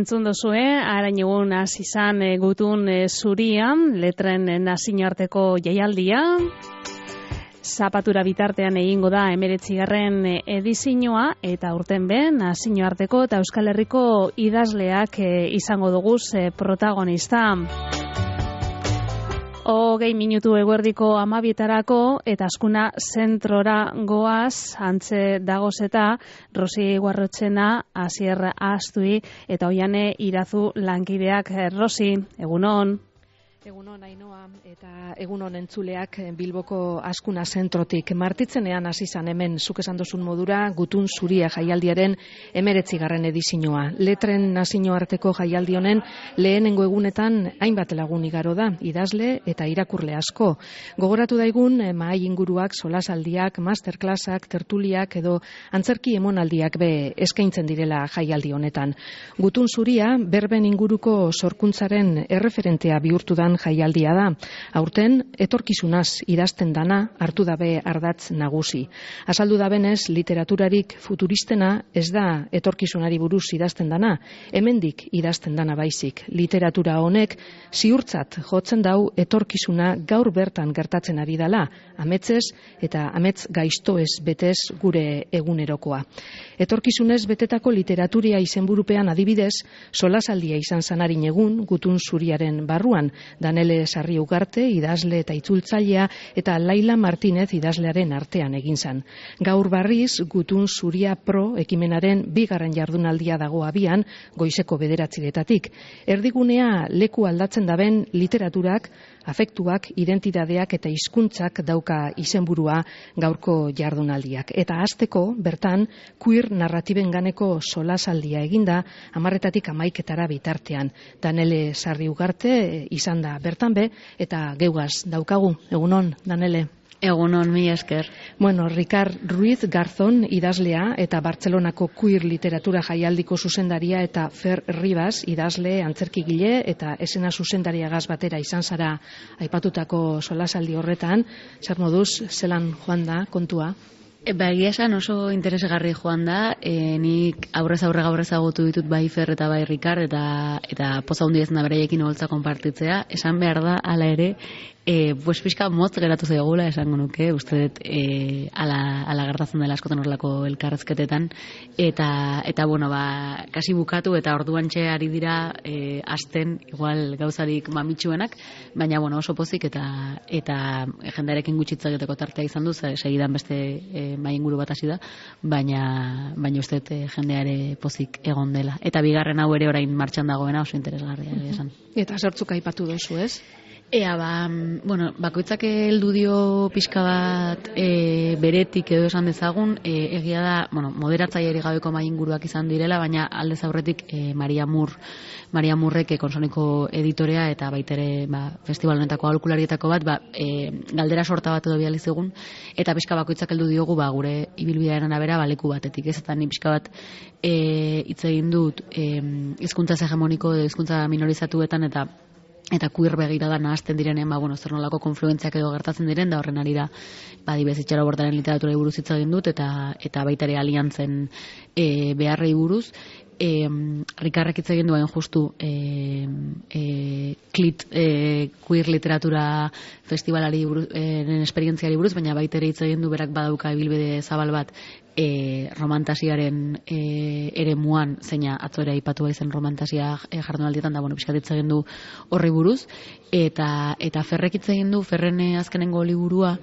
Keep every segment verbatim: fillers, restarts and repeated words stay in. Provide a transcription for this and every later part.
entzun dozue, arain egun hasi izan e, gutun e, zurian, letren e, nazioarteko jaialdia. Zapatura bitartean egingo da hemeretzigarren edizioa eta urten ben nazioarteko eta Euskal Herriko idazleak e, izango dugu e, protagonista. Hogei minutu eguerdiko amabietarako eta askuna zentrora goaz, antze dagoz eta Rosi Guarrotxena, Asier Astui eta Oiane Irazu lankideak. Rosi, egunon. Egunon Ainoa eta egunon entzuleak Bilboko askuna zentrotik. Martitzenean hasi izan hemen zuk esan duzun modura gutun zuria jaialdiaren hemeretzigarren edizioa. Letren nazioarteko jaialdi honen lehenengo egunetan hainbat lagun igaro da, idazle eta irakurle asko. Gogoratu daigun mahai inguruak, solasaldiak, masterclassak, tertuliak edo antzerki emonaldiak be eskaintzen direla jaialdi honetan. Gutun zuria berben inguruko sorkuntzaren erreferentea bihurtu da jaialdia da. Aurten etorkizunaz idazten dana hartu dabe ardatz nagusi. Azaldu da benez, literaturarik futuristena ez da etorkizunari buruz idazten dana, hemendik idazten dana baizik. Literatura honek ziurtzat jotzen dau etorkizuna gaur bertan gertatzen ari dela, ametzez eta amets gaiztoez betez gure egunerokoa. Etorkizunez betetako literaturia izenburupean adibidez, solasaldia izan zanarin egun gutun zuriaren barruan, Danele Sarri Ugarte, idazle eta itzultzailea, eta Laila Martinez idazlearen artean egin zan. Gaur barriz, gutun zuria pro ekimenaren bigarren jardunaldia dago abian, goizeko bederatziretatik. Erdigunea leku aldatzen daben literaturak, afektuak, identitateak eta hizkuntzak dauka izenburua gaurko jardunaldiak. Eta hasteko bertan, queer narratiben ganeko solasaldia eginda, amarretatik amaiketara bitartean. Danele Sarri Ugarte izan da bertan be, eta geugaz daukagu. Egunon, Danele. Egunon, mi esker. Bueno, Ricard Ruiz Garzón idazlea eta Bartzelonako queer literatura jaialdiko zuzendaria eta Fer Ribas idazle, antzerkigile eta esena zuzendariagaz batera izan zara aipatutako solasaldi horretan. Zer moduz, zelan joan da kontua? Ba, egia esan oso interesgarri joan da, e, nik aurrez aurre gaur ezagutu ditut bai Fer eta bai Ricard, eta, eta poza hundi ezin da bereiekin holtza konpartitzea. Esan behar da, ala ere, e, pues pixka motz geratu zaigula esango nuke, uste dut e, ala, ala gertatzen dela askotan horrelako elkarrezketetan, eta, eta bueno, ba, kasi bukatu eta orduantxe ari dira e, asten, igual gauzarik mamitsuenak, baina bueno, oso pozik eta, eta jendarekin gutxitza egiteko tartea izan du, segidan beste e, mai inguru bat hasi da, baina, baina uste dut e, jendeare pozik egon dela. Eta bigarren hau ere orain martxan dagoena oso interesgarria esan. Eta sortzuk aipatu duzu, ez? Ea, ba, bueno, bakoitzak heldu dio pixka bat e, beretik edo esan dezagun, e, egia da, bueno, moderatzailerik gabeko mahai inguruak izan direla, baina aldez aurretik e, Maria Mur, Maria Murrek Konsoniko editorea eta baitere ba, festival honetako aholkularietako bat, ba, e, galdera sorta bat edo bidali zigun, eta pixka bakoitzak heldu diogu ba, gure ibilbidearen arabera baleku batetik, ez eta ni pixka bat e, hitz egin dut e, hizkuntza hegemoniko edo hizkuntza minorizatuetan eta eta queer begirada nahazten direnean, ba, bueno, zer nolako konfluentziak edo gertatzen diren, da horren arira, ba, dibez itxaro bortaren literatura buruz hitz egin dut, eta, eta baita ere aliantzen e, beharrei buruz. E, Rikarrek hitz egin duen justu e, e, klit e, queer literatura festivalari buruz, e, esperientziari buruz, baina baita ere hitz egin du berak badauka ibilbide zabal bat e, romantasiaren e, ere muan, zeina atzora aipatua izen romantasia e, jardunaldietan, da, bueno, pixkat hitz egin du horri buruz, eta, eta Ferrek hitz egin du, Ferren azkenengo liburua,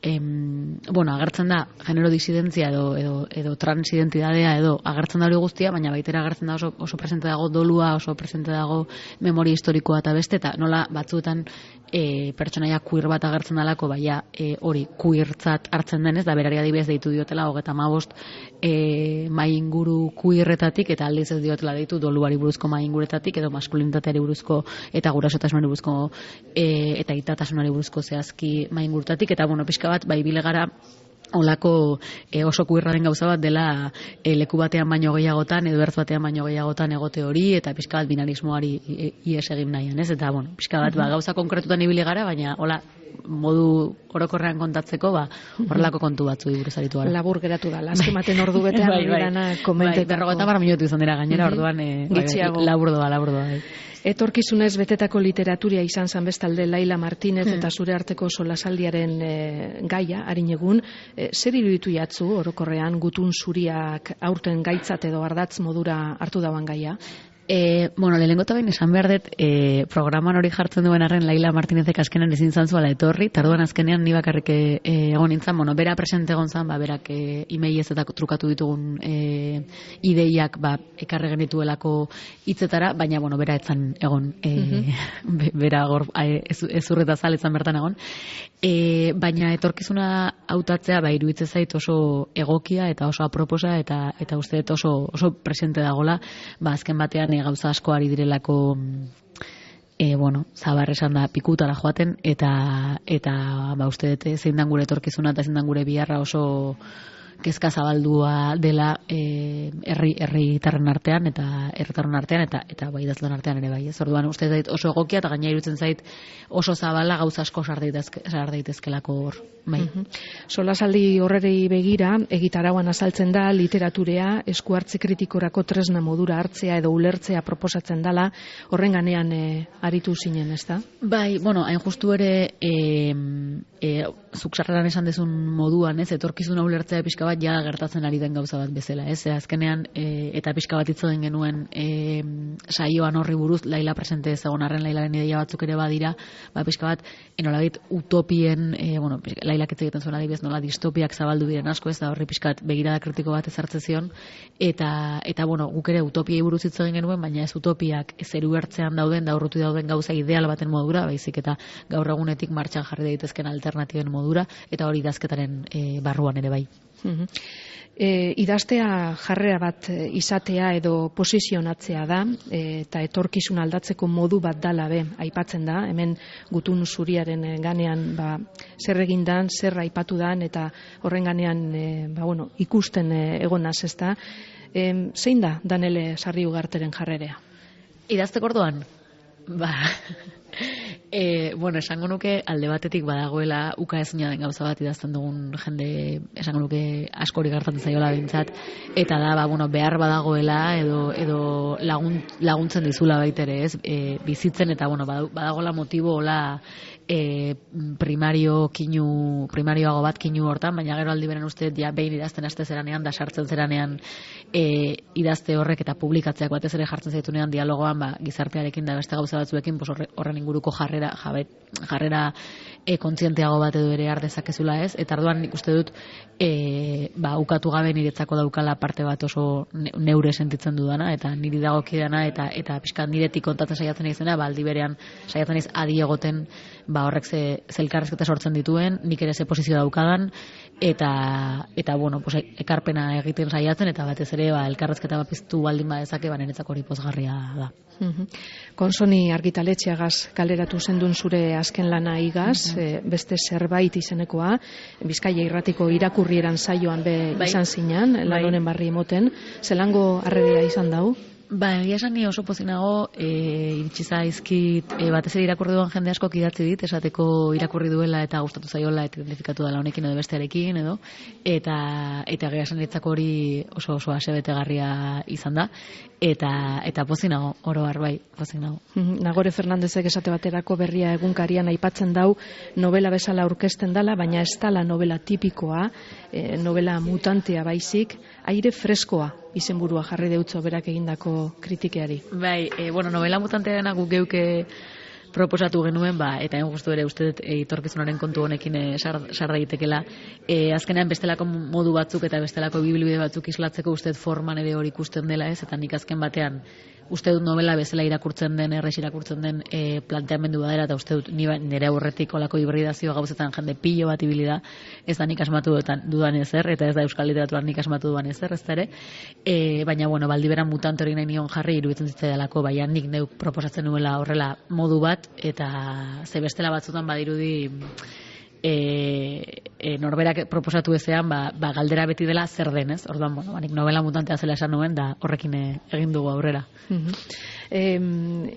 Em, bueno, agertzen da genero disidentzia edo, edo, edo transidentidadea edo agertzen da hori guztia, baina baitera agertzen da oso, oso presente dago dolua, oso presente dago memoria historikoa eta beste, eta nola batzuetan e, pertsonaia queer bat agertzen dalako, baina e, hori queertzat hartzen denez, da berari adibidez deitu diotela hogeta hamabost e, mai inguru queerretatik, eta aldiz ez diotela deitu doluari buruzko mai inguretatik, edo maskulinitateari buruzko eta gurasotasunari buruzko e, eta itatasunari buruzko zehazki mai ingurutatik, eta bueno, pixka bat, bai bile gara olako e, oso queerraren gauza bat dela e, leku batean baino gehiagotan edo ertz batean baino gehiagotan egote hori eta pixka bat binarismoari ies egin nahian, ez? Eta bueno, pixka bat ba, gauza konkretutan ibili gara, baina hola modu orokorrean kontatzeko, ba, horrelako kontu batzu buruz aritu gara. Labur geratu da, azkematen ordu betean bai, bai. dana komentetako. Bai, berrogeita hamar minutu izan dira gainera, orduan e, Gitxiago. labur doa, labur doa. Bai. Etorkizunez betetako literaturia izan zan bestalde Laila Martínez eta zure arteko solasaldiaren e, gaia, harin egun, e, zer iruditu jatzu orokorrean gutun zuriak aurten gaitzat edo ardatz modura hartu dauan gaia? E, bueno, lehenengo eta behin esan behar dut, e, programan hori jartzen duen arren Laila Martínezek azkenean ezin zantzuala etorri, tarduan azkenean ni bakarrik e, egon nintzen, bueno, bera presente egon zan, ba, berak e, e-mailez eta trukatu ditugun e, ideiak ba, ekarre genituelako hitzetara, baina, bueno, bera etzan egon, e, uh-huh. bera gor, e, ez, ez urreta zaletzan bertan egon, e, baina etorkizuna hautatzea, ba, iruditzen zait oso egokia eta oso aproposa eta eta uste dut oso, oso presente dagola, ba, azken batean gauza asko ari direlako e, bueno, zabar esan da pikutara joaten eta eta ba uste dut zein dan gure etorkizuna eta zein dan gure biharra oso kezka zabaldua dela eh, herri herritarren artean eta herritarren artean eta eta bai idazlan artean ere bai. Ez orduan uste zait oso egokia eta gaina iruditzen zait oso zabala gauza asko sar daitezke sar daitezkelako hor. Bai. Uh-huh. Solasaldi horreri begira egitarauan azaltzen da literaturea esku hartze kritikorako tresna modura hartzea edo ulertzea proposatzen dala, horren ganean e, aritu zinen, ezta? Bai, bueno, hain justu ere e, e, zuk sarreran esan dezun moduan, ez, etorkizuna ulertzea pixka bat ja gertatzen ari den gauza bat bezala, ez? Azkenean e, eta pixka bat hitz egin genuen e, saioan horri buruz Laila presente ez egon arren Lailaren ideia batzuk ere badira, ba pixka bat enolabait utopien, e, bueno, Lailak hitz egiten zuen adibidez nola distopiak zabaldu diren asko, ez da horri pixkat begirada kritiko bat ezartze zion eta eta bueno, guk ere utopiei buruz hitz egin genuen, baina ez utopiak zeru ertzean dauden da urruti dauden gauza ideal baten modura, baizik eta gaur egunetik martxan jarri daitezken alternatiben modura eta hori idazketaren e, barruan ere bai. Uh-huh. E, idaztea jarrera bat izatea edo posizionatzea da e, eta etorkizun aldatzeko modu bat dala be, aipatzen da, hemen gutun zuriaren ganean ba, zer egindan, zer aipatu dan eta horren ganean e, ba, bueno, ikusten e, egonaz ez da. E, zein da Danele Sarri Ugarteren jarrerea? Idazteko orduan? Ba... E, bueno, esango nuke alde batetik badagoela uka ezina den gauza bat idazten dugun jende, esango nuke askori gertatzen zaiola bintzat, eta da, ba, bueno, behar badagoela edo, edo lagun, laguntzen dizula baitere, ez, e, bizitzen eta, bueno, badagoela motibo hola e, primario kinu, primarioago bat kinu hortan, baina gero aldi beren uste ja behin idazten aste zeranean, da sartzen zeranean e, idazte horrek eta publikatzeak batez ere jartzen zaitunean dialogoan, ba, gizartearekin da beste gauza batzuekin, pues horren inguruko jarrera Jabet, jarrera e, kontzienteago bat edo ere ardezakezula ez, eta arduan nik uste dut e, ba, ukatu gabe niretzako daukala parte bat oso neure sentitzen dudana, eta niri dagokidana eta eta pixka niretik kontatzen saiatzen izena, ba, aldi berean saiatzen iz adi egoten ba, horrek ze, ze elkarrezketa sortzen dituen, nik ere ze posizio daukadan, eta, eta bueno, pues, ekarpena egiten saiatzen, eta batez ere ba, elkarrezketa bat piztu baldin badezake, ba, niretzako hori pozgarria da. Uh-huh. Konsoni argitaletxeagaz kaleratu zendun zure azken lana igaz, uh-huh. e, beste zerbait izenekoa, Bizkaia irratiko irakurrieran saioan be bai. Izan zinan, bai. Lan honen barri emoten, zelango harreria izan dau? Ba, egia esan ni oso pozinago, e, iritsi zaizkit, e, batez ere irakurri duen jende asko idatzi dit, esateko irakurri duela eta gustatu zaiola eta identifikatu dela honekin edo bestearekin edo, eta eta egia esan ditzako hori oso oso asebetegarria izan da, eta eta pozinago, oro har bai, pozinago. Nagore Fernandezek esate baterako berria egunkarian aipatzen dau novela bezala aurkezten dala, baina ez dala novela tipikoa, e, novela mutantea baizik, aire freskoa izenburua jarri deutzo berak egindako kritikeari. Bai, e, bueno, novela mutantea dena guk geuke proposatu genuen, ba, eta egin guztu ere uste dut etorkizunaren kontu honekin e, sar, sar daitekela. E, azkenean bestelako modu batzuk eta bestelako bibilbide batzuk islatzeko uste dut forman ere hori ikusten dela ez, eta nik azken batean uste dut novela bezala irakurtzen den, errex irakurtzen den e, planteamendu badera, eta uste dut nire aurretik olako hibridazio gauzetan jende pilo bat ibili da, ez da nik asmatu dudan ezer, eta ez da euskal literaturan nik asmatu dudan ezer, ez da ere, e, baina, bueno, baldiberan mutante hori nahi nion jarri iruditzen zitzaidalako, baina nik neuk proposatzen nuela horrela modu bat, eta ze bestela batzutan badirudi e, e, norberak proposatu ezean, ba, ba galdera beti dela zer den, ez? Orduan, bueno, banik novela mutantea zela esan nuen, da horrekin egin dugu aurrera. E,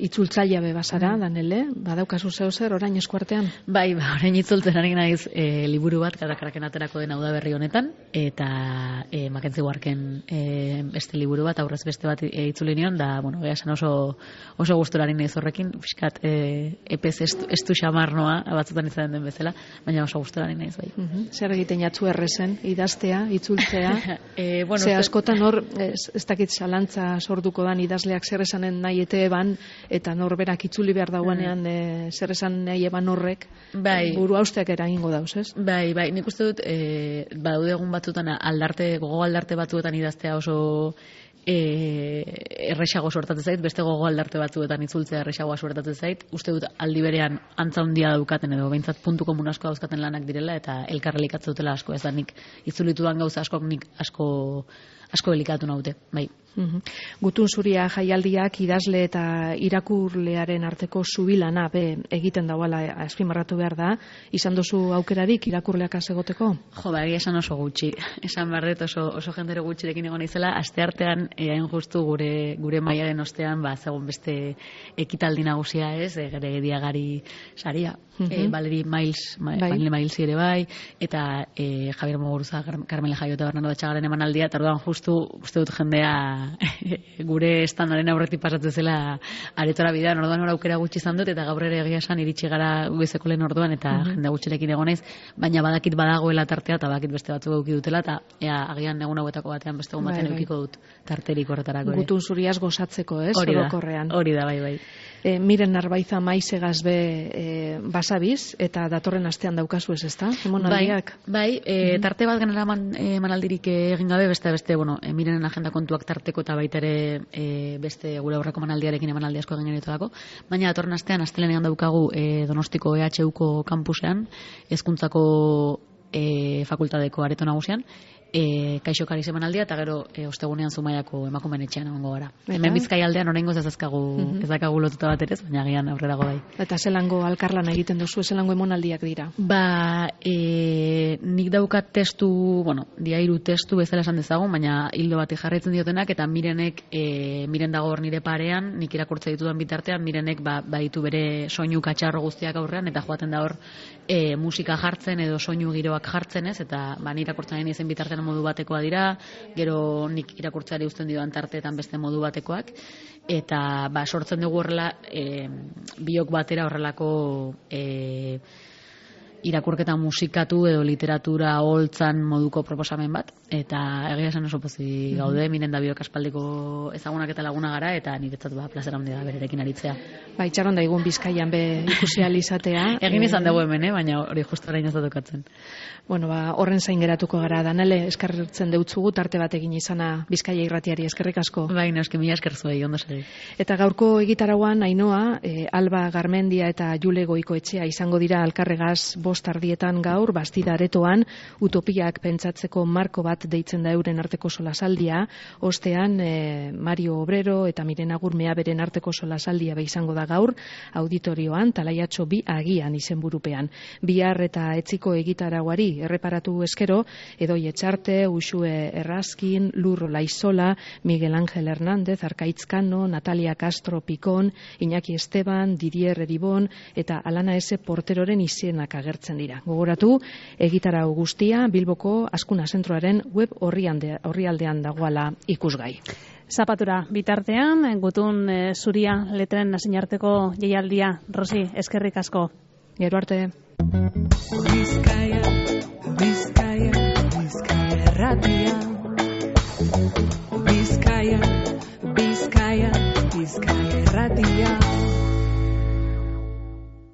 itzultzaile be bazara, Danele, badaukazu zeu zer orain eskuartean? Bai, ba, orain itzultzen ari naiz e, liburu bat, karakaraken aterako den udaberri honetan, eta e, Makentzi Guarken e, beste liburu bat, aurrez beste bat e, itzuli nion, da, bueno, beha esan oso, oso gusturari naiz horrekin, fiskat e, epez estu, estu xamarnoa, batzutan izan den bezala, baina oso gusturari naiz, bai. Uh-huh. Zer egiten jatzu errezen, idaztea, itzultzea, e, bueno, ze askotan hor, ez, ez dakit zalantza sorduko dan idazleak zer esanen nahi ete eban, eta norberak itzuli behar dauanean e, zer esan nahi eban horrek, bai, buru hausteak eragingo dauz, ez? Bai, bai, nik uste dut, e, badaude egun batzutan aldarte, gogo aldarte batzuetan idaztea oso e, erresago suertatzen zait, beste gogo aldarte batzuetan itzultzea erresagoa suertatzen zait, uste dut aldi berean antza handia daukaten edo behintzat puntu komun asko dauzkaten lanak direla eta elkarrelikatze dutela asko, ez da nik itzulitudan gauza askok nik asko asko elikatu naute, bai. Uhum. Gutun zuria jaialdiak idazle eta irakurlearen arteko zubilana be egiten dauala azpimarratu behar da, izan duzu aukerarik irakurleak azegoteko? Jo, ba, egia esan oso gutxi, esan barret oso, oso jendere gutxirekin egon izela, asteartean hain justu gure, gure maiaren ostean, ba, zegoen beste ekitaldi nagusia ez, e, gere gediagari saria, uhum. e, Valeri Miles, ma, bai. Valeri Miles ere bai, eta e, Javier Moguruza, Carmela Jaio eta Bernardo Txagaren emanaldia, eta orduan justu, uste dut jendea gure estandaren aurretik pasatzen zela aretora bidean, orduan hor aukera gutxi izan dut, eta gaur ere egia esan iritsi gara goizeko lehen orduan, eta mm-hmm. jende gutxirekin egon naiz, baina badakit badagoela tartea, eta badakit beste batzuk eduki dutela, eta ea, agian egun hauetako batean beste egun batean edukiko dut tarterik horretarako. Gutun zuriaz gozatzeko, ez? Hori da, hori da, bai, bai. E, miren Narbaiza maizegaz be e, basabiz, eta datorren astean daukazu ez, ezta? Bai, bai e, mm-hmm. tarte bat genera man, e, manaldirik egin gabe, beste, beste, bueno, e, mirenen agenda kontuak tarteko eta baita ere e, beste gure aurreko manaldiarekin emanaldi asko egin genituako, baina datorren astean astelenean daukagu e, Donostiko E H Uko kampusean, hezkuntzako e, fakultateko areto nagusian, E, kaixo kariz emanaldia, eta gero e, ostegunean Zumaiako emakumeen etxean egongo gara. Eta? Hemen Bizkai aldean oraingoz ez ezkagu, mm-hmm. ez dakagu lotuta bat ere, baina agian aurrerago bai. Eta zelango alkarlan egiten duzu, zelango emanaldiak dira? Ba, e, nik daukat testu, bueno, diairu testu bezala esan dezagun, baina hildo bati jarraitzen diotenak, eta mirenek, e, miren dago hor nire parean, nik irakurtza ditudan bitartean, mirenek ba, baditu bere soinu katxarro guztiak aurrean, eta joaten da hor e, musika jartzen edo soinu giroak jartzen ez, eta ba, nire irakurtzen nahi izen bitartean modu batekoa dira, gero nik irakurtzeari uzten dioan tarteetan beste modu batekoak, eta ba, sortzen dugu horrela e, biok batera horrelako e, irakurketa musikatu edo literatura holtzan moduko proposamen bat, eta egia esan oso pozik gaude, miren da biok aspaldiko ezagunak eta laguna gara, eta niretzat ba, plazera handia da bererekin aritzea. Ba, itxaron da igun Bizkaian be ikusi ahal izatea. Egin izan dugu hemen, eh? Baina hori justu orain ez da tokatzen. Bueno, ba, horren zain geratuko gara, Danele, eskertzen deutzugu tarte bat egin izana Bizkaia irratiari, eskerrik asko. Bai, eski mila esker zuei, ondo segi. Eta gaurko egitarauan, Ainhoa, e, Alba Garmendia eta Jule Goikoetxea izango dira Alkarregaz bost ardietan gaur, Bastida aretoan, utopiak pentsatzeko marko bat deitzen da euren arteko solasaldia, ostean e, Mario Obrero eta Mirena Gurmea beren arteko solasaldia be izango da gaur, auditorioan, Talaiatxo bi agian izenburupean. Bihar eta etziko egitarauari erreparatu eskero, Edoi Etxarte, Uxue Errazkin, Lur Laizola, Miguel Ángel Hernández, Arkaitz Kano, Natalia Castro Picón, Iñaki Esteban, Didier Eribon eta Alana S. Porteroren izenak agertzen dira. Gogoratu, egitarau guztia Bilboko Azkuna Zentroaren web orrialdean dagoala ikusgai. Zapatura bitartean, gutun e, zuria letren nasinarteko jaialdia. Rosi, eskerrik asko. Gero arte. Bizkaia, Bizkaia, Bizkaia erratia. Bizkaia, Bizkaia, Bizkaia erratia.